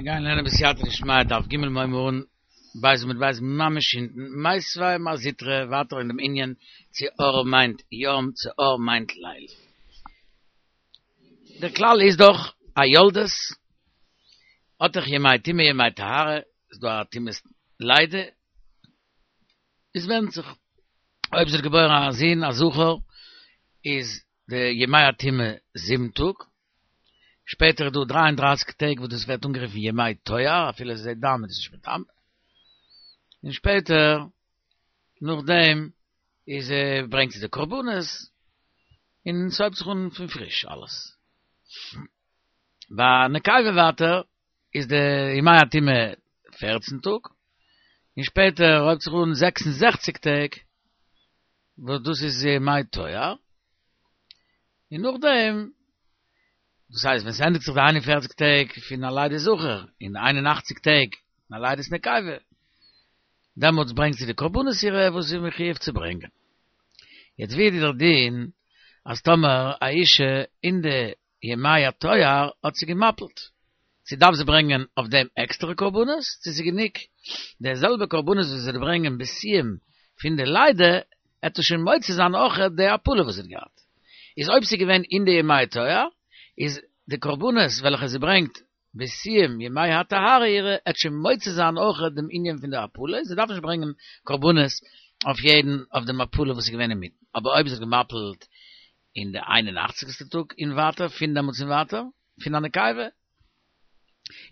מיר גייען לערנען בסייעתא דשמיא דף ג' מיר הייבן אן ב' עמוד ב' ממש אונטן, מיתיבי מר זוטרא ווייטער אין דעם ענין צו אור מיינט יום צו אור מיינט ליל. דער כלל איז דאך א יולדת האט דאך ימי טומאה ימי טהרה, איז דא א טומאת לידה, עס ווענדט זיך אויב זי האט געבוירן א זון א זכר איז די ימי הטומאה זיבן טאג, שפעטער איז דא דריי און דרייסיג טעג וואס דאס ווערט אנגערופן ימי טוהר אפילו זי זעט דם איז עס נישט מטמא, און שפעטער נאכדעם איז ברענגט זי די קרבנות און ס'הויבט זיך אן פון פריש אלעס. ביי נקבה ווייטער איז די ימי הטומאה פערצן טאג, און שפעטער הויבט זיך אן 66 טעג וואס דאס איז ימי טוהר, און נאכדעם, דאס הייסט ווען ס'ענדיגט זיך די 41 טעג פון א לידת זכר און די 81 טעג פון א לידת נקבה, דעמאלטס ברענגט זי די קרבנות אירע וואס זי איז מחויב צו ברענגען. יעצט ווי איז דער דין אז טאמער א אישה אין די ימי הטוהר האט זי געמפילט, צו דארף זי ברענגען אויף דעם עקסטערע קרבנות, צו ס'איז גענוג די זעלבע קרבנות וואס זי וועט ברענגען בסיום פון די לידה, עט עס שוין מוציא זיין אויך די הפלה וואס זי האט געהאט. איז אויב ס'איז געווען אין די ימי הטוהר, איז די קרבנות וועלכע זי ברענגט בסיום ימי הטהרה אירע, עט שוין מוציא זיין אויך דעם ענין פון די הפלה, זי דארף נישט ברענגען קרבנות אויף יעדן אויף דעם הפלה וואס איז געווען אינמיטן, אבער אויב זי האט געמפילט אין די איין און אכציגסטע טאג און ווייטער, פון דעמאלטס און ווייטער, פון א נקבה,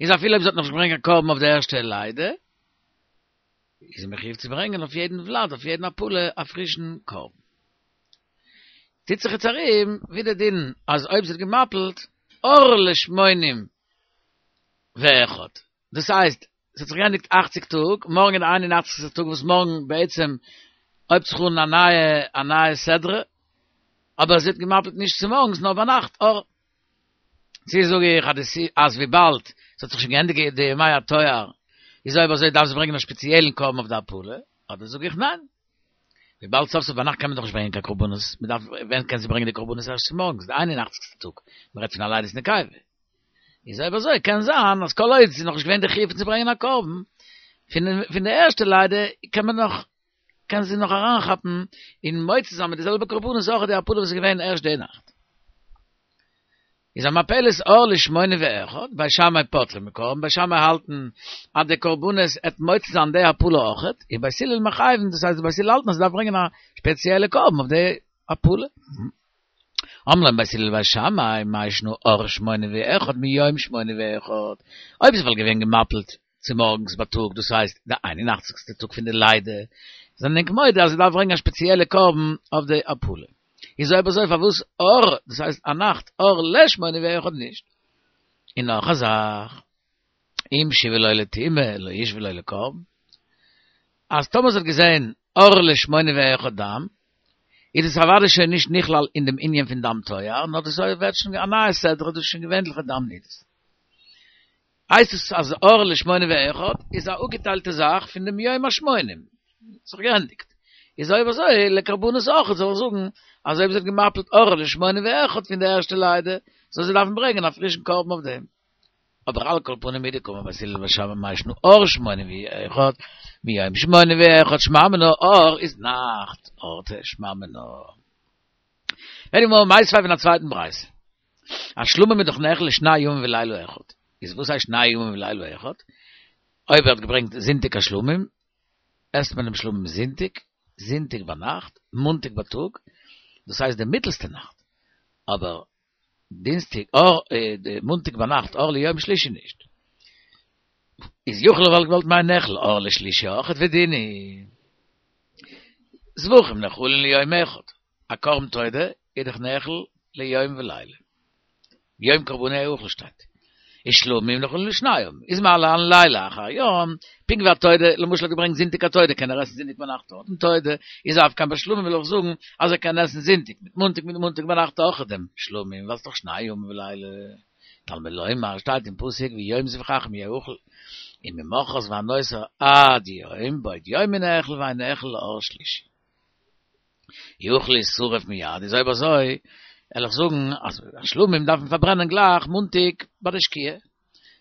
איז אפילו אויב זי האט נאכנישט געברענגט קיין קרבן אויף די ערשטע לידה, איז זי מחויב צו ברענגען אויף יעדן ולד, אויף יעדן הפלה, א פרישן קרבן. טוט זיך יעצט ארום ווי די דין אז אויב זי האט געמפילט אור לשמונים ואחד, דאס הייסט עס האט זיך געענדיגט אכציג טאג, מארגן איז די איין און אכציגסטע טאג וואס מארגן בעצם הויבט זיך אן א נייע א נייע סדרה, אבער זי האט געמפילט נישט צומארגנס נאר ביינאכט אור. צו זאג איך אז די אז וויבאלד עס האט זיך שוין געענדיגט די ימי הטוהר איז אויב אזוי דארף זי ברענגען א שפעציעלן קרבן אויף די הפלה, אדער זאג איך ניין, וויבאלד סוף סוף ביינאכט קען מען דאך נישט ברענגען קיין קרבנות, מען דארף ווען קען זי ברענגען די קרבנות ערשט צומארגנס די איין און אכציגסטע טאג, מען רעדט פון א לידת נקבה. איז אויב אזוי קען זיין אז כל עוד ס'איז נאכנישט געווען די חיוב פון צו ברענגען א קרבן פון די ערשטע לידה קען מען נאך קען זי נאך אריינכאפן און מוציא זיין מיט די זעלבע קרבנות אויך די הפלה וואס איז געווען ערשט די נאכט. איז המפלת אור לשמונים ואחד, בית שמאי פוטרין מקרבן, בית שמאי האלטן אז די קרבנות עט מוציא זיין די הפלה אויכעט, און בית הלל מחייבין, דאס הייסט די בית הלל האלטן אז זי דארף ברענגען א שפעציעלע קרבן אויף די הפלה. אמרו להם בית הלל לבית שמאי, מאי שנא אור שמונים ואחד מיום שמונים ואחד, אויב זי וואלט געווען געמפילט צומארגנס בייטאג, דאס הייסט די איין און אכציגסטע טאג פון די לידה, זענען ענק מודה אז זי דארף ברענגען א שפעציעלע קרבן אויף די הפלה. איז אויב אזוי פארוואס אור, דאס הייסט א נאכט, אור לשמונים ואחד נישט? און נאך א זאך, אם שוה לו לטומאה לא ישוה לו לקרבן, אז טאמער זי האט געזען אור לשמונים ואחד דם, איז עס אוודאי שוין נישט נכלל אין דעם ענין פון דם טוהר, נאר דאס ווערט שוין א נייע סדרה, דאס איז שוין געווענליכע דם נידות. הייסט עס אז אור לשמונים ואחד איז א אפגעטיילטע זאך פון דעם יום השמונים, ס'איז זיך געענדיגט. איז אויב אזוי לקרבנות אויך זאל איך זאגן אז אויב זי האט געמפילט אור לשמונים ואחד פון די ערשטע לידה, זאל זי דארפן ברענגען א פרישן קרבן אויף דעם. אבער על כל פנים מדקאמר בית הלל לבית שמאי מאי שנא אור שמונים ואחד מיום שמונים ואחד שמע מינה אור איז נאכט אורתא שמע מינה. פרעגט די גמרא מיתיבי פון א צווייטן ברייתא. א שלמים איז דאך נאכל לשני ימים ולילה אחד. איז וואס הייסט שני ימים ולילה אחד? אויב ער האט געברענגט זונטאג א שלמים, עסט מען דעם שלמים זונטאג, זונטאג ביינאכט, מאנטאג בייטאג, דאס הייסט די מיטלסטע נאכט. אבער דינסטאג אור מאנטאג ביינאכט אור ליום שלישי נישט. איז יכול וואלט געוואלט מיינען נאכל אור לשלישי אויכעט ודין הוא. זבחים נאכלין ליום אחד. א קרבן תודה איז דאך נאכל ליום ולילה. יום קרבנו יאכל שטייט. איז שלמים נאכלין לשני ימים. איז מה להלן לילה אחר יום, פונקט ווי א תודה, למשל האט געברענגט זונטאג א תודה קען ער עסן זונטאג ביינאכט אויך דעם תודה, איז אף כאן ביי שלמים וויל איך זאגן אז ער קען עסן זונטאג מיט מאנטאג מיט מאנטאג ביינאכט אויך דעם שלמים ווייל ס'דאך שני ימים ולילה. תלמוד לומר שטייט אין פסוק ויום זבחכם יאכל וממחרת והנותר עד יום בעוד יום הוא נאכל ואין נאכל לאור שלישי. יכול לישרף מיד, איז אויב אזוי וועל איך זאגן אז שלמים דארף מען פארברענען גלייך מאנטאג ביי די שקיעה.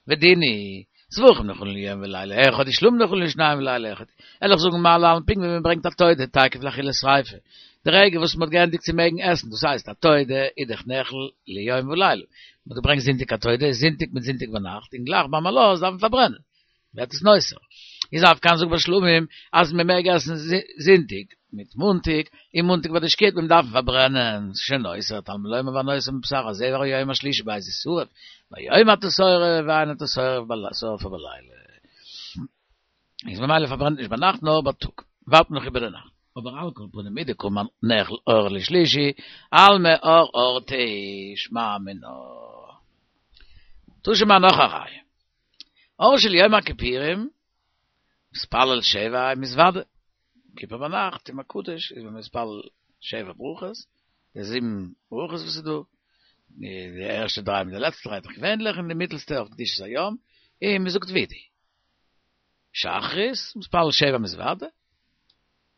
ודין הוא. זבחים נאכלין ליום ולילה אחד, ושלמים נאכלין לשניים ולילה אחד. וועל איך זאגן מה להלן פונקט ווי מען ברענגט א תודה תיכף לאכילת שריפה, די רגע וואס מען האט געענדיגט צו מעגן עסן, דאס הייסט א תודה איז דאך נאכל ליום ולילה, מען האט געברענגט זונטאג א תודה, איז זונטאג מיט זונטאג ביינאכט, און גלייך ביים עלות דארף מען פארברענען, ווערט עס נותר. איז אף כאן זאג ביי שלמים אז מען מעג עסן זונטאג מיט מאנטאג, און מאנטאג ביי די שקיעה וועט מען דארפן פארברענען, ס'איז שוין נותר, תלמוד לומר והנותר מבשר הזבח ביום השלישי בעת השרף, ביום אתה שורף ואין אתה שורפו בלילה. איז ממילא פארברענט נישט ביינאכט נאר בייטאג, ווארט מען נאך איבער די נאכט. אבער על כל פנים מדקאמר נאכל אור לשלישי, אלמא אור אורתא שמע מינה. תא שמע נאך א ראיה. אור של יום הכיפורים, מתפלל שבע ומתוודה. כיפור ביינאכט יום הקדוש איז מען מתפלל שבע ברכות, די זיבן ברכות וואס איז דא, די ערשטע דריי מיט די לעצטע דריי דאך געווענליך, און די מיטלסטע אויף קדושת היום, און מען זאגט וידוי. שחרית, מתפלל שבע ומתוודה,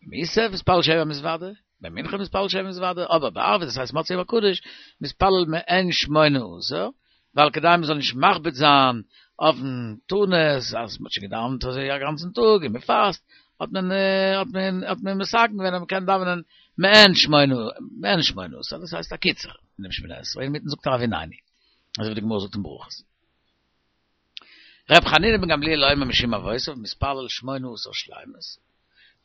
מוסף מתפלל שבע ומתוודה, ביי מנחה מתפלל שבע ומתוודה, אבער בערבית דאס הייסט מוצאי יום הקדוש, מתפלל מעין שמונה עשר, ווייל כדי מען זאל נישט מכביד זיין אויפן תענית, אז מען האט שוין געדאווענט אזוי א גאנצן טאג און מען פאסט, האט מען האט מען האט מען מתקן געווען אז מען קען דאווענען מעין שמונה מעין שמונה עשר, דאס הייסט א קיצור אינעם שמונה עשרה, אינמיטן זאגט ער הביננו, אזוי ווי די גמרא זאגט אין ברכות. ר' חנינא בן גמליאל אומר משום אבותיו מתפלל שמונה עשר שלימות,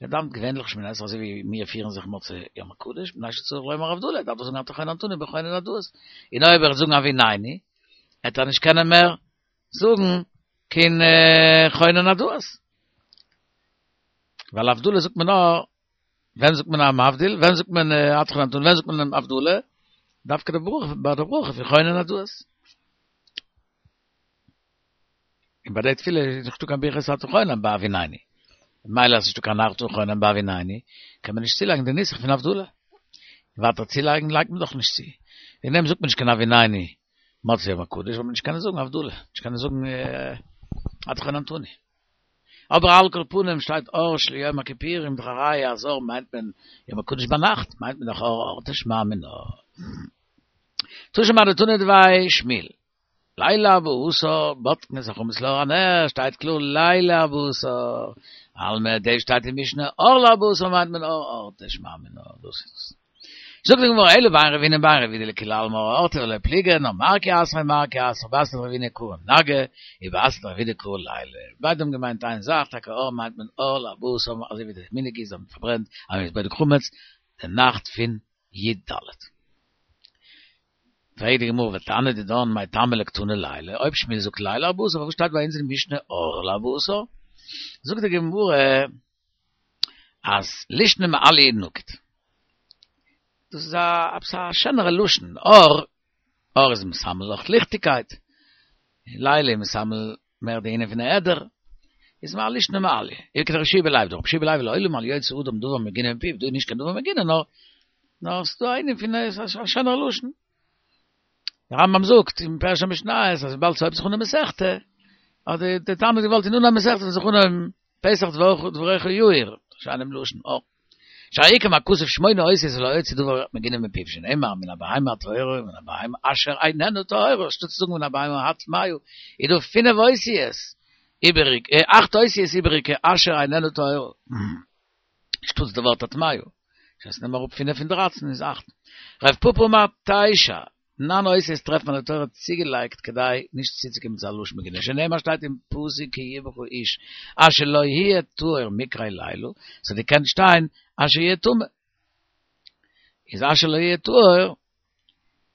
מען דאווענט געווענליך שמונה עשרה אזוי ווי מיר פירן זיך מוצאי יום הקדוש, מפני שצריך לומר הבדלה, דארף ער זאגן אתה חוננתנו בחונן הדעת, און אויב ער וועט זאגן הביננו, וועט ער נישט קענען מער זאגן קיין חונן הדעת, ווייל הבדלה זאגט מען נאר ווען זאגט מען המבדיל? ווען זאגט מען אתה חוננתנו? ווען זאגט מען הבדלה? דווקא די ברכה, ביי די ברכה פון חונן הדעת. און ביי די תפילה איז נישטא קיין ברכת אתה חונן ביי הביננו. ממילא אז ס'נישטא קיין אתה חונן ביי הביננו, קען מען נישט צולייגן די נוסח פון הבדלה. ווייטער צולייגן לייגט מען דאך נישט צו. וועגן דעם זאגט מען נישט קיין הביננו מוצאי יום הקדוש, ווייל מען נישט קענען זאגן הבדלה, נישט קענען זאגן אתה חוננתנו. אבער על כל פנים שטייט אור של יום הכיפורים דאך א ראיה אז אור מיינט מען יום הקדוש ביינאכט מיינט מען דאך אור אורתא שמע מינה. תא שמע דתנא דבי שמואל ליל ארבעה עשר בודקין את החמץ לאור הנר שטייט קלאר ליל ארבעה עשר אלמא דאס שטייט אין משנה אור לארבעה עשר מיינט מען אור אורתא שמע מינה דאס איז עס. זאגט די גמרא אלא בין רבינא ובין רב יהודה לכולי עלמא אור אורתא ולא פליגי נאר מר כי אתריה מר כי אתריה בתריה דרבינא קרי נגהי ובתריה דרב יהודה קרי ליליא ביידע האבן געמיינט איין זאך טאקע אור מיינט מען אור לארבעה עשר אזוי ווי די מנהג איז אז מען פארברענט אז מען איז בודק חמץ די נאכט פון י ד. פרעגט די גמרא ותנא דידן מאי טעמא לא קתני לילה אויב שמואל זאגט ליל ארבעה עשר פארוואס שטייט ביי אונז אין משנה אור לארבעה עשר זאגט די גמרא אז לישנא מעליא נקיט. דאס איז א עפעס א שענערע לשון, אור, אור איז מסמל אויך ליכטיגקייט, לילה איז מסמל מער די ענין פון העדר, איז מה לישנא מעליא. וכדרבי יהושע בן לוי, דרבי יהושע בן לוי לעולם אל יוציא אדם דבר מגונה מפיו, דא איז נישט קיין דבר מגונה נאר נאר ס'איז דא א ענין פון א שענערע לשון. דער רמב ם זאגט אין פירוש המשניות אז וויבאלד ס'הויבט זיך אן די מסכתא, האט די תנא געוואלט אין אנהייב מסכתא זאל זיך אנהויבן פתח דבריך יאיר, שיינעם לשון, אור. שהרי קם הכתוב שמונה אותיות ולא הוציא דבר מגונה מפיו שנאמר מן הבהמה הטהורה ומן הבהמה אשר איננה טהורה, אנשטאט צו זאגן מן הבהמה הטמאה, איז דא פינף אותיות איבעריג, אכט אותיות איבעריגע אשר איננה טהורה, אנשטאטס די ווארט הטמאה, דאס הייסט נעם אראפ פינף פון דרייצן איז אכט. רב פפא אמר תשע, ניין אותיות טרעפט מען די תורה צוגעלייגט כדי נישט צוצוקומען צו א לשון מגונה, שנאמר שטייט אין פסוק כי יהיה בך איש אשר לא יהיה טהור מקרה לילה, ס'האט געקענט שטיין אשר יהיה טמא. איז אשר לא יהיה טהור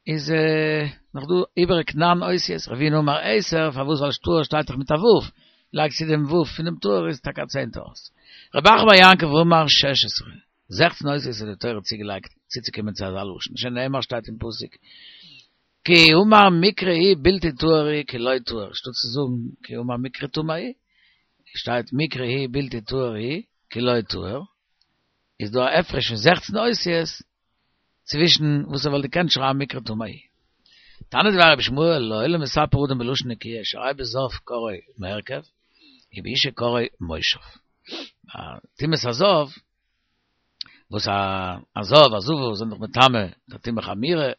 איז נאך דא איבעריג ניין אותיות, רבינא אמר עשר, פארוואס ווייל טהור שטייט דאך מיט א ו', לייג צו דעם ו' פונעם טהור איז טאקע א צענטע אות. רב אחא בר יעקב אמר שש עשרה. זעכצן אותיות האט די תורה צוגעלייגט צוצוקומען צו אזא לשון, שנאמר שטייט אין פסוק כי אמר מקרה הוא בלתי טהור הוא כי לא טהור, אנשטאט צו זאגן כי אמר מקרה טמא הוא, שטייט מקרה הוא בלתי טהור הוא כי לא טהור, איז דא א הפרש פון זעכצן אותיות צווישן וואס ער וואלט געקענט שרייבן מקרה טמא הוא. תנא דבי רבי ישמעאל לעולם מספר אדם בלשון נקיה שהרי בזב קרוי מרכב ובאשה קרוי מושב. טומאת הזב וואס א זב א זבה זענען דאך מטמא די טומאה חמורה,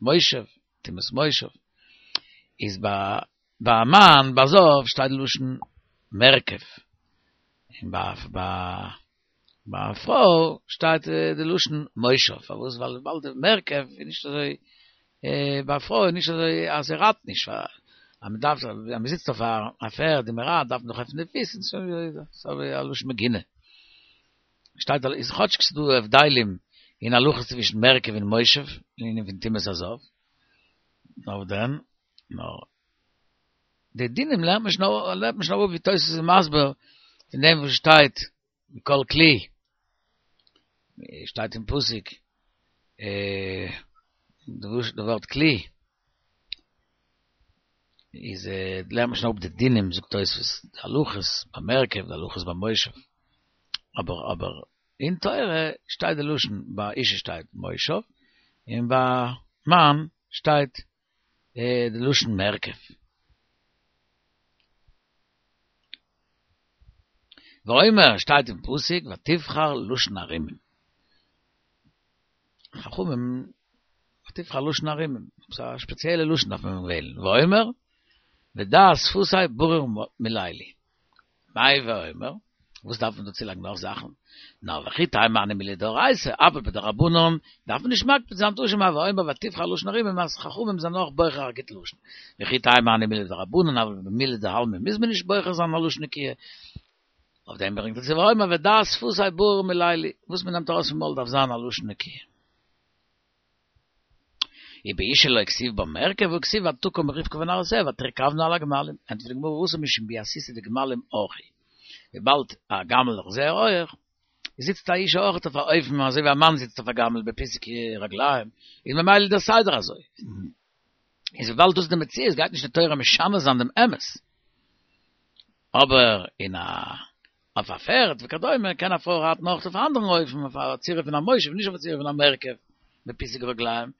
מושב, טומאת מושב, איז ביי. ביי א מאן ביי זב שטייט די לשון מרכב, און ביי ביי א פרוי שטייט די לשון מושב, פארוואס? ווייל וויבאלד די מרכב איז נישט אזוי, ביי א פרוי איז נישט אזוי אז זי רייט נישט, אז מען דארף אז מען זיצט אויף א פערד און מען רייט דארף מען דאך עפענען די פיס, ס'איז אזוי א לשון מגונה. שטייט איז כאטשיג ס'איז דא הבדלים אין הלכות צווישן מרכב און מושב אין ענין פון טומאת הזב, נאר דען, נאר די דינים לערנט מען שוין לערנט מען שוין אראפ ווי תוס' איז מסביר פון דעם וואס שטייט מכל כלי, שטייט אין פסוק די ווארט כלי, איז לערנט מען שוין אפ די דינים זאגט תוספות די הלכות ביי מרכב די הלכות ביי מושב, אבער אבער אין תורה שטייט די לשון ביי אישה שטייט מושב און ביי מאן שטייט די לשון מרכב. ואומר שטייט אין פסוק ותבחר לשון ערומים. חכמים ותבחר לשון ערומים, עפעס א שפעציעלע לשון דארף מען וועלן, ואומר ודע שפתי ברור מללי. מאי ואומר? וואס דארף מען דא צולייגן נאך זאכן? נאר וכי תימא הני מילי דאורייתא, אבל בדרבנן דארף מען נישט מקפיד זיין תא שמע ואומר ותבחר לשון ערומים אז חכמים זענען אויך בוחר א גוט לשון. וכי תימא הני מילי דרבנן אבל במילי דעלמא מוז מען נישט בוחר זיין א לשון נקיה. אויף דעם ברענגט ער צו ואומר ודע שפתי ברור מללי, וואס מען נעמט ארויס פון מויל דארף זיין א לשון נקיה. ובאשה לא כתיב בה מרכב והא כתיב ותקם רבקה ונערותיה ותרכבנה על הגמלים, ענטפערט די גמרא התם משום ביאתיתא דגמלים ארכי, וויבאלד א גמל איז זייער הויעך, זיצט א אישה אויך אויף א אופן אזוי ווי א מאן זיצט אויף א גמל בפיסוק רגליים, איז ממילא דער סדר אזוי. איז וויבאלד דאס איז די מציאות גייט נישט די תורה משנה זיין דעם אמת. אבער אין א אויף א פערד וכדומה קען א פרוי רייטן אויך אויף א אנדערן אופן, אויף א צורה פון א מושב, נישט אויף א צורה פון א מרכב, בפיסוק רגליים,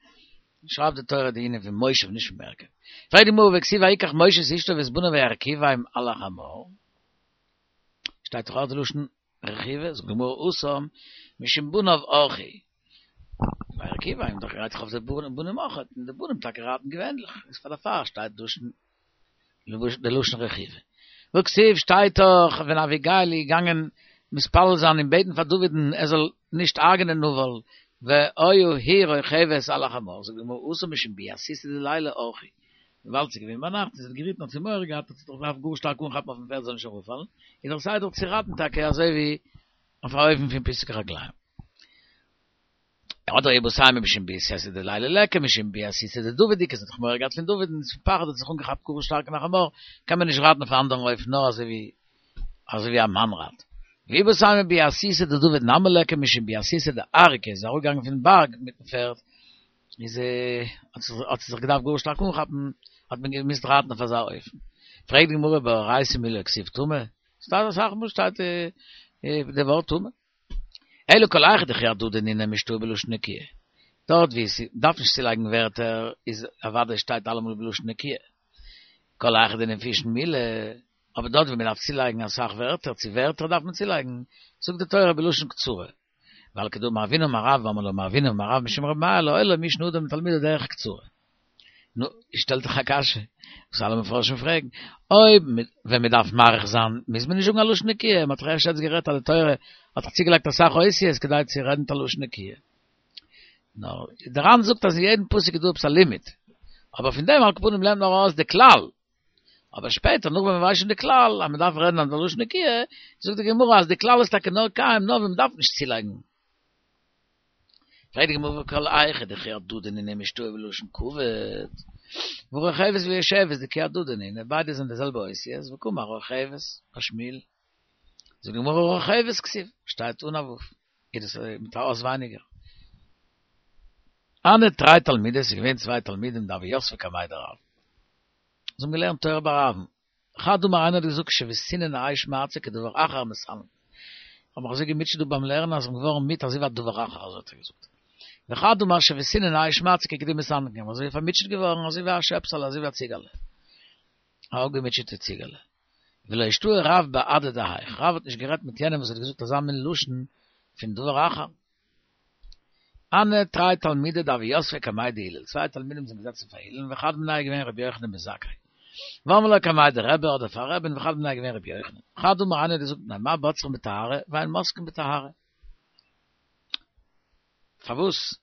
שרייבט די תורה די ענין פון מושב נישט פון מרכב. פרעגט די גמרא והכתיב ויקח משה את אשתו ואת בניו וירכיבם על החמור, שטייט דאך אויך די לשון רכיבה, זאגט די גמרא התם משום בניו אורחי, וירכיבם דאך רייט זיך אויף די בנים אויך, און די בנים טאקע רייטן געווענליך, איז פאר דערפאר שטייט לשון די לשון רכיבה. והכתיב שטייט דאך ווען אביגיל איז געגאנגען מתפלל זיין און בעטן פאר דוד'ן ער זאל נישט הרג'נען נבל, והיה היא רוכבת על החמור, זאגט די גמרא התם משום ביאתיתא דליליא אורחי, וויבאלד ס'איז געווען ביינאכט און זי האט געריטן האט זי מורא געהאט האט זי זיך געדארפט גאר שטארק אנכאפן אויפן פערד זאל נישט אראפפאלן, איז דאך סדר צו רייטן טאקע אזוי ווי אויף א אופן פון פיסוק רגליים. אדער איבעית אימא משום ביאתיתא דליליא ליכא משום ביאתיתא דדוד איכא, זי האט דאך מורא געהאט פון דוד און פון פחד האט זי זיך אנגעכאפט גאר שטארק אין א חמור, קען מען נישט רייטן אויף א אנדערן אופן נאר אזוי ווי אזוי ווי א מאן רייט. ואיבעית אימא ביאתיתא דדוד נמי ליכא משום ביאתיתא דארקא, איז אראפגעגאנגען פון בארג מיטן פערד, איז האט זי זיך געדארפט גאר שטארק אנכאפן, האט מען געמוזט רייטן אויף אזא אופן. פרעגט די גמרא באורייתא מי לא כתיב טמא, ס'שטייט אסאך מאל שטייט די ווארט טמא. אלא כל היכא דכי הדדי נינהו משתעי בלשון נקיה. דארט ווי עס דארף נישט צולייגן ווערטער איז אוודאי שטייט אלעמאל בלשון נקיה. כל היכא דנפישין מילי, אבער דארט ווי מען דארף צולייגן אסאך ווערטער, צו ווערטער דארף מען צולייגן, זאגט די תורה בלשון קצרה. ועל כדאמר אבינא אמר רב ואמרי לה מר אבינא אמר רב משום רבי מאיר לעולם ישנה אדם לתלמידו דרך קצרה. נו, שטעלט זיך א קשיא, וואס אלע מפרשים פרעגן, אויב ווען מען דארף מאריך זיין מוז מען נישט זאגן א לשון נקיה, מען האט דאך ערשט יעצט גערעדט אז די תורה האט דאך צוגעלייגט אסאך אותיות כדי צו רעדן מיט א לשון נקיה. נאר דער ר"ן זאגט אז אין יעדן פסוק איז דא עפעס א לימוד, אבער פון דעם על כל פנים לערנט מען ארויס די כלל, אבער שפעטער נאך ווען מען ווייסט שוין די כלל אז מען דארף רעדן א לשון נקיה, זאגט די גמרא אז די כלל איז טאקע נאר קיים נאר ווען מען דארף נישט צולייגן. פרעגט די גמרא כל היכא דכי הדדי נינהו משתעי בלשון כבוד, והא רוכבת ויושבת דכי הדדי נינהו, ביידע זענען די זעלבע אותיות, וקאמר רוכבת בשמואל, זאגט די גמרא רוכבת כתיב, שטייט אן א ו', איז דאס מיט א אות ווייניגער. הנהו תרי תלמידי, ס'איז געווען צוויי תלמידים דהוו יתבי קמיה דרב, זיי האבן געלערנט תורה ביי רב'ן, חד אמר איינער האט געזאגט שויתינן אש מעצי כדבר אחר המסנן. איך האב מיך אזוי געמוטשעט דא ביים לערנען אז איך בין געווארן מיד אזוי ווי א דבר אחר אזוי האט ער געזאגט. וחד אמר שויתינן אש מעצי כגדי מסנקן איך בין אזוי פארמוטשעט געווארן אזוי ווי א שעפסעלע אזוי ווי א ציגעלע. א אפגעמוטשעטע ציגעלע. ולא אשתעי רב בהדי דהאיך רב האט נישט גערעדט מיט יענעם וואס האט געזאגט אזא מין לשון פון דבר אחר. הנהו תרי תלמידי דהוו יתבי קמיה דהלל, צוויי תלמידים זענען געזעצן פאר הלל, וחד מינייהו איז געווען רבי יוחנן בן זכאי. ואמרי לה קמיה דרבי אדער פאר רבי'ן וחד מינייהו געווען רבי יוחנן. חד אמר איינער האט געזאגט מפני מה בוצרין בטהרה ואין מוסקין בטהרה. פארוואס?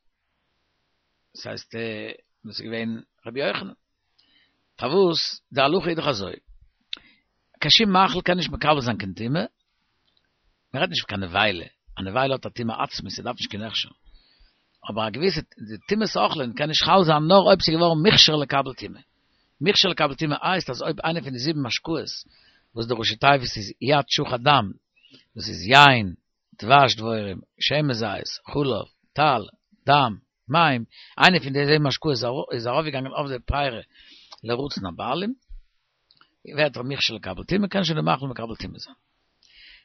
דאס הייסט דאס איז געווען רבי יוחנן. פארוואס? די הלכה איז דאך אזוי. קיין שום מאכל קען נישט מקבל זיין קיין טומאה. מען רעדט נישט פון קיין נבילה, א נבילה האט א טומאה עצמית, ס'דארף נישט קיין הכשר. אבער א געוויסע די טומאת אוכלין קען נישט חל זיין נאר אויב ס'איז געווארן מוכשר לקבל טומאה. מוכשר לקבל טומאה הייסט אז אויב איינע פון די זיבן משקאות וואס די ראשי תיבות איז יד שחת דם, דאס איז יין, דבש דבורים, שמן זית, חלב, טל, דם, מים, איינע פון די זיבן משקאות איז ארויפגעגאנגען אויף די פירי לרצון הבעלים, ווערט ער מוכשר לקבל טומאה, קען שוין די מאכל מקבל טומאה זיין.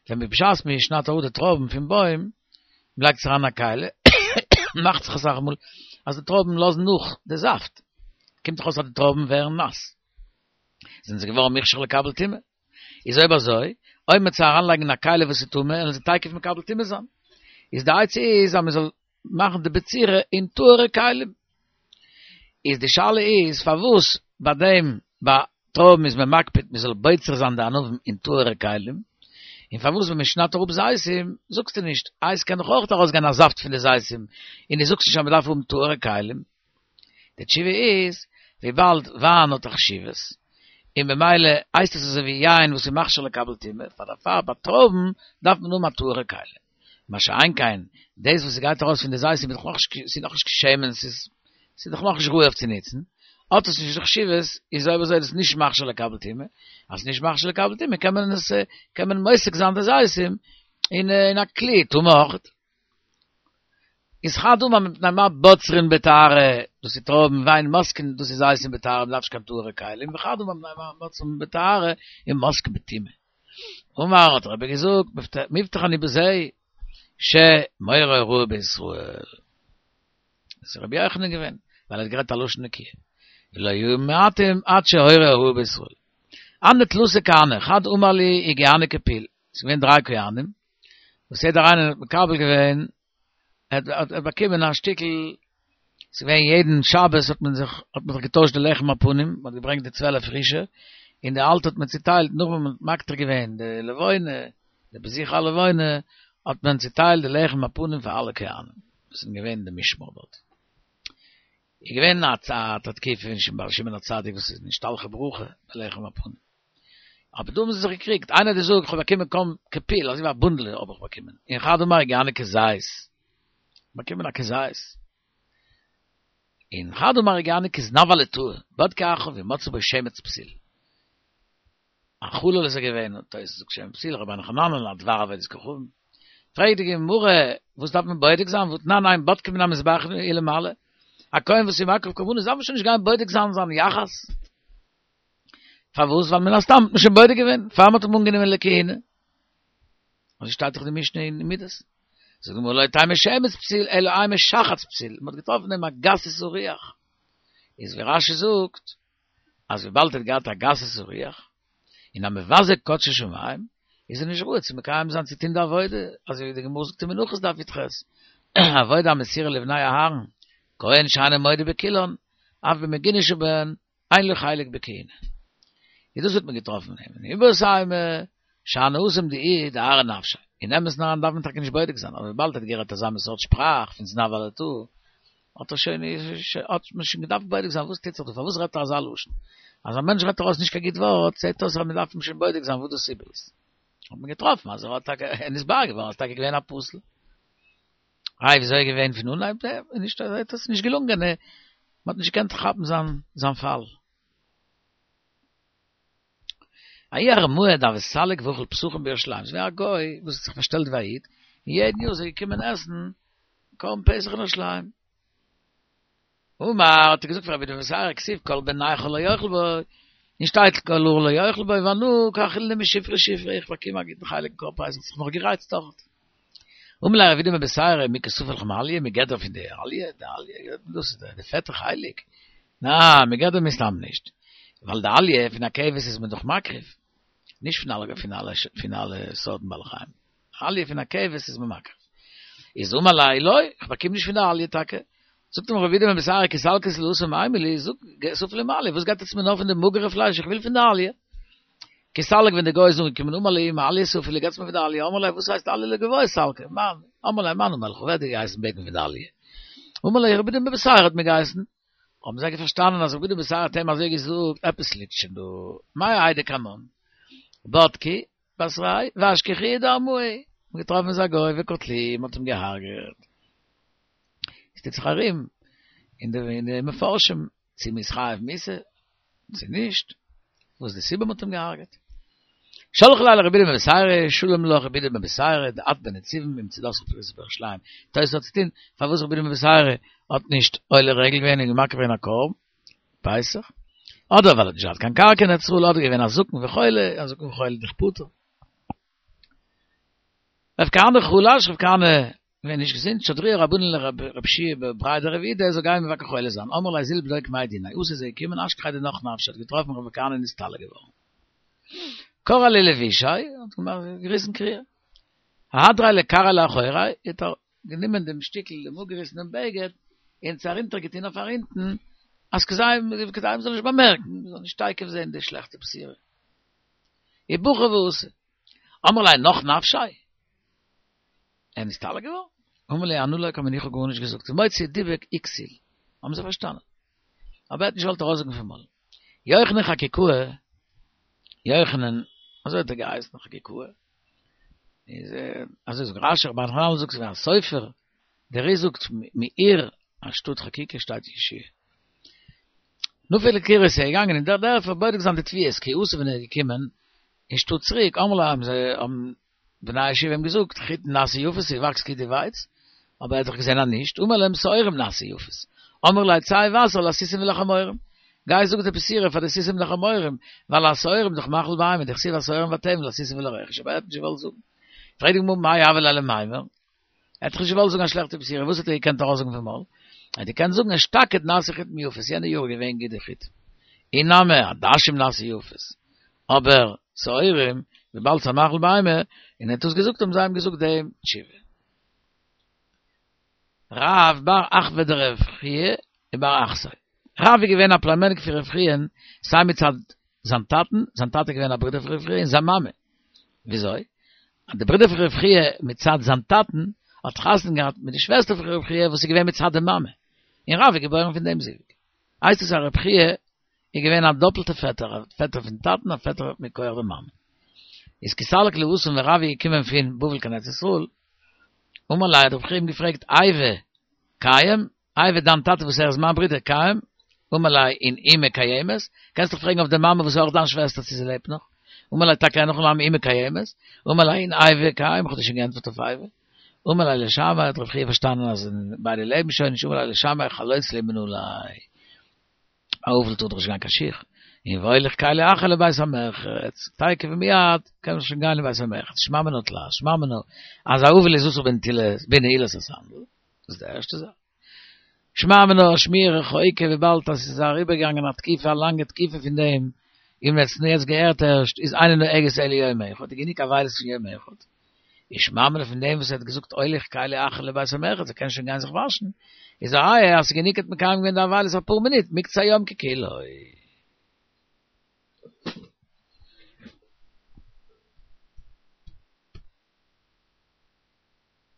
ווען מען בשעת מען שניידט אראפ די טרויבן פון בוים, מען לייגט עס אריין אין א כלי, מאכט זיך אסאך מאל אז די טרויבן לאזן נאך די זאפט, קומט דאך אויס אז די טרויבן ווערן נאס, זענען זיי געווארן מוכשר לקבל טומאה. איז אויב אזוי, אויב מען וועט זיי אריינלייגן אין א כלי וואס איז טמא, וועלן זיי תיכף מקבל טומאה זיין. איז די עצה איז אז מען זאל מאכן די בצירה אין טהור'ע כלים. איז די שאלה איז פארוואס ביי דעם ביי טרויבן איז מען מקפיד מען זאל בוצר זיין די ענבים אין טהור'ע כלים, און פארוואס ווען מען שניידט אראפ זיתים זאגסטו נישט, איי ס'קען דאך אויך ארויסגיין א זאפט פון די זיתים, און דו זאגסט נישט אז מען דארף האבן טהור'ע כלים. די תשובה איז, וויבאלד וויין האט א חשיבות, און במילא הייסט עס אזוי ווי יין וואס איז מכשיר לקבל טומאה, פאר דערפאר ביי טרויבן דארף מען האבן א טהור'ע כלי. מה שאין כן, דאס וואס ס'גייט ארויס פון די זיתים איז דאך נאכנישט, ס'איז נאכנישט קיין שמן, ס'איז ס'איז דאך נאכנישט ראוי אויף צו נוצן, האט עס נישט די חשיבות, איז אויב אזוי איז עס נישט מכשיר לקבל טומאה, אז ס'איז נישט מכשיר לקבל טומאה קען מען עס, קען מען מוסק זיין די זיתים אין אין א כלי טמא אויכעט. איז חד אמר מפני מה בוצרין בטהרה, דאס איז טרויבן, ואין מוסקין, דאס איז זיתים בטהרה, מ'דארף נישט קיין טהור'ע כלים, וחד אמר מפני מה בוצרין בטהרה ומוסקין בטומאה. אמר האט רבי געזאגט, מובטח אני בזה שמורה הוראה בישראל. דאס איז רבי יוחנן געווען, ווייל ער האט גערעדט א לשון נקיה. ולא היו מעטים עד שהורה הוראה בישראל. הנהו תלתא כהני, חד אמר להו הגיעני כפול, ס'איז געווען דריי כהנים, וואס יעדער איינער האט מקבל געווען, ער האט באקומען א שטיקל, ס'איז געווען יעדן שבת האט מען זיך, האט מען זיך געטוישט די לחם הפנים, מען האט געברענגט די צוועלף פרישע, און די אלטע האט מען צוטיילט, נאך ווען מען האט מקטיר געווען די לבונה, די בזיכי הלבונה, האט מען צוטיילט די לחם הפנים פאר אלע כהנים, וואס זענען געווען אין די משמר דארט. איז געווען א תקופה פון שמעון הצדיק וואס איז נשתלחה ברכה בלחם הפנים. אבער דא האבן זיי זיך געקריגט, איינער האט געזאגט איך האב באקומען קוים כפול, אזוי ווי א בונדל האב איך באקומען, און חד אמר הגיעני כזית, באקומען א כזית, און חד אמר הגיעני כזנב הלטאה, בדקו אחריו ומצאו בו שמץ פסול. א חלל איז ער געווען, תוס' זאגט שמן פתיל, רבינו חננאל א דבר עבודת כוכבים. פרעגט די גמרא, וואס דארף מען בודק זיין, והתנן אין בודקין מן המזבח ולמעלה, א כהן וואס איז מקריב קרבנות דארף מען שוין נישט גיין בודק זיין זיין יחס. פארוואס? ווייל מן הסתם האט מען שוין בודק געווען פאר מ'האט אים אנגענומען לכהונה. אזוי שטייט דאך די משנה אין מידות. זאגט די גמרא לא תימא שמץ פסול אלא אימא שחץ פסול, מ'האט געטראפן אים א גסות הרוח. איז ווי רש"י זאגט, אז וויבאלד ער האט געהאט א גסות הרוח, און א מבזה קדשי שמים, איז ער נישט ראוי צו מקיים זיין צו טון די עבודה, אזוי ווי די גמרא זאגט אין מנחות דף י"ח, עבודה המסורה לבני אהרן, כהן שאינו מודה בכולן, אף במגונה שבהן, אין לו חלק בכהונה. איז דאס האט מען געטראפן אין אים. ואיבעית אימא, שאני התם דאיהו דארעא נפשיה. אין אמת'ן אריין דארף מען טאקע נישט בודק זיין, אבער וויבאלד ער האט גערעדט אזא מין סארט שפראך פון זנב הלטאה, האט ער שוין, האט מען שוין געדארפט בודק זיין וואס טוט זיך דא, פארוואס רעדט ער אזא לשון. אז א מענטש רעדט ארויס נישט קיין גוט ווארט, זעט אויס אז מען דארף אים שוין בודק זיין וואס די סיבה איז. האט מען געטראפן אז ער האט טאקע, נתברר געווארן אז ער איז טאקע געווען א פסול. איי וויאזוי איז געווען פון אנהייב? נישט אזוי האט עס נישט געלונגען, מען האט נישט געקענט כאפן זיין זיין פאל. ההוא ארמאה דהוה סליק ואכיל פסחים בירושלים, ס'איז געווען א גוי וואס האט זיך פארשטעלט ווי א איד, און יעדן יאר איז ער געקומען עסן קרבן פסח אין ירושלים. אמר, האט ער געזאגט פאר רב אידי בר בתירא, כתיב כל בן נכר לא יאכל בו, און שטייט כל ערל לא יאכל בו, ואנא קא אכילנא משופרי שופרי, איך באקום א גוטן חלק אין קרבן פסח, זיך נאך גערייצט דארט. אמר ליה רב אידי בר בתירא, מי קא ספו לך מאליה, מגדר פון די אליה, די אליה, דאס איז די פעטע חלק, נא, מגדר מסתם נישט, ווייל די אליה פון א כבש איז מען דאך מקריב, נישט פון אלע פון אלע פון אלע סארטן בעלי חיים, אליה פון א כבש איז מען מקריב. איז אמר ליה לא, איך באקום נישט פון די אליה טאקע. זאגט אים רבי יהודה בן בתירא כי סלקת להתם אימא לי, זאג, ספו לי מאליה, וואס גייט עטס מיר נאר פון די מאגערע פלייש, איך וויל פון די אליה. כי סליק ווען די גוי איז אנגעקומען אמר להו מאליה ספו לי, געטס מיר פון די אליה, אמרו ליה וואס הייסט אליה לגובאי סלקא, מאן, אמר להו מאן אמר לך, ווער האט דיר געהייסן בעטן פון די אליה? אמר להו רבי יהודה בן בתירא האט מיר געהייסן. האבן זיי פארשטאנען אז רבי יהודה בן בתירא האט אים אזוי געזאגט, עפעס ליגט שוין דא, מאי האי דקמן, בדקי בתריה ואשכחוהו דארמאי, מ'האט געטראפן ס'איז א גוי וקטלוהו, מ'האט אים געהארגעט. עס טוט זיך ארום אין די אין די מפרשים צו מ'איז חייב מיתה צו נישט, וואס די סיבה מ'האט אים געהארגעט. שלחו ליה לרבי יהודה בן בתירא, שלום לך רבי יהודה בן בתירא, דאת בנציבין ומצודתך פרוסה בירושלים. תוס' האט צוטון פארוואס רבי יהודה בן בתירא האט נישט עולה רגל געווען און מקריב געווען א קרבן פסח, אדער ווייל ער האט נישט געהאט קיין קרקע אין ארץ ישראל, אדער געווען א זקן וחולה, א זקן וחולה דאך פטור. רב כהנא חלש, רב כהנא געווען נישט געזונט, שדרוה רבנן לרב שיע בריה דרב אידי ער זאל גיין מבקר חולה זיין, אמר להו זיל בדוק מאי דיניה, אתא איז ער געקומען אשכחיה דנח נפשיה האט געטראפן רב כהנא נסתלק געווארן. קרע ליה לבושיה, האט געמאכט געריסן קריעה. אהדריה לכרעיה לאחוריה, האט ער גענומען דעם שטיקל דעם אפגעריסענעם בגד און עס ארונטער געטון אויף ארונטן, אז כדי כדי מ'זאל נישט באמערקן, מ'זאל נישט תיכף זען די שלעכטע בשורה. ובכי ואתא. אמרו ליה נח נפשיה? ער איז נסתלק געווארן? אמר להו אנא לא קאמינא איך האב גארנישט געזאגט, ומוציא דיבוק וכסיל, האבן זיי פארשטאנען. אבער ער האט נישט געוואלט ארויסזאגן פון מויל. יוחנן חקוקאה, יוחנן, אזוי האט ער געהייסן חקוקאה, איז אזוי זאגט רש"י, רבינו חננאל זאגט ס'איז געווען א סופר, דער אר"י זאגט מעיר אנשטאט חקיקה שטייט יהושע. נפק לקרייתא איז ער געגאנגען אין דער דערפער בודק זיין די תבואות, כי אתא ווען ער איז געקומען אין שטאט צוריק, אמרו ליה האבן זיי האבן בני הישיבה אים געזאגט, חיטין נעשו יפות, ס'וואקסט גוט די ווייץ, אבער ער האט דאך געזען אז נישט, אמר להם שעורים נעשו יפות, אמרו ליה צא ובשר לסוסים ולחמורים, גיי זאג די בשורה פאר די סוסים און די חמורים, ווייל השעורים דאך מאכל בהמה, דכתיב השעורים והתבן לסוסים ולרכש, אבער ער האט נישט געוואלט זאגן. פרעגט די גמרא מאי הוה ליה למימר? ער האט דאך נישט געוואלט זאגן א שלעכטע בשורה, וואס האט ער געקענט ארויסזאגן פון מויל? ער האט געקענט זאגן אשתקד נעשו חיטים יפות, יענע יאר איז געווען גוט די חיטים. אי נמי עדשים נעשו יפות. אבער שעורים, וויבאלד ס'איז א מאכל בהמה, און ער האט דאס געזאגט האבן זיי אים געזאגט דעם תשובה. רב בר אחוה דרב חייא ובר אחתיה. רב איז געווען א פלומעניק פון רב חיא'ן סיי מצד זיין טאטן, זיין טאטע איז געווען א ברודער פון רב חייא, און זיין מאמע. וויאזוי? אז די ברודער פון רב חייא מצד זיין טאטן האט חתונה געהאט מיט די שוועסטער פון רב חייא וואס איז געווען מצד די מאמע. און רב איז געבוירן פון דעם זיווג. הייסט עס אז רב חייא איז געווען א דאפלטע פעטער, א פעטער פון טאטן א פעטער מכח די מאמע. איז כי סליק להתם ווען רב איז געקומען פון בבל קיין ארץ ישראל, אמר ליה האט רב חייא אים געפרעגט אייבו קיים, אייבו דיין טאטע וואס ער איז מיין ברודער קיים, אמר ליה און אימא קיימת, קענסט דאך פרעגן אויף די מאמע וואס איז אויך דיין שוועסטער צו זי לעבט נאך, אמר ליה טאקע אין הכי נמי אימא קיימת, אמר ליה און אייבו קיים, איך האב דיר שוין געענטפערט אויף אייבו. אמר ליה לשמעיה האט רב חייא פארשטאנען אז ביידע לעבן שוין נישט, אמר ליה לשמעיה חלוץ לי מנעלי. א אבל טאר דאך נישט גיין קיין שיך, און והוליך כלי אחר לבית המרחץ, תיכף ומיד קען מען שוין גיין לבית המרחץ, שמע מינה תלת, שמע מינה אז א אבל איז אסור בנעילת הסנדל, דאס איז די ערשטע זאך. שמע מינה שמיעה רחוקה וויבאלד אז עס איז אריבערגעגאנגען א תקופה א לאנגע תקופה פון דעם, און מען האט עס יעצט געהערט ערשט, איז אינה נוהגת אלא יום אחד, איז גענוג אבילות פון יום אחד. און שמע מינה פון דעם וואס ער האט געזאגט הוליך כלי אחר לבית המרחץ ער קען שוין גיין זיך וואשן, איז א ראיה אז ס'איז גענוג האט מקיים געווען די אבילות אפאר מינוט מקצה היום ככולו.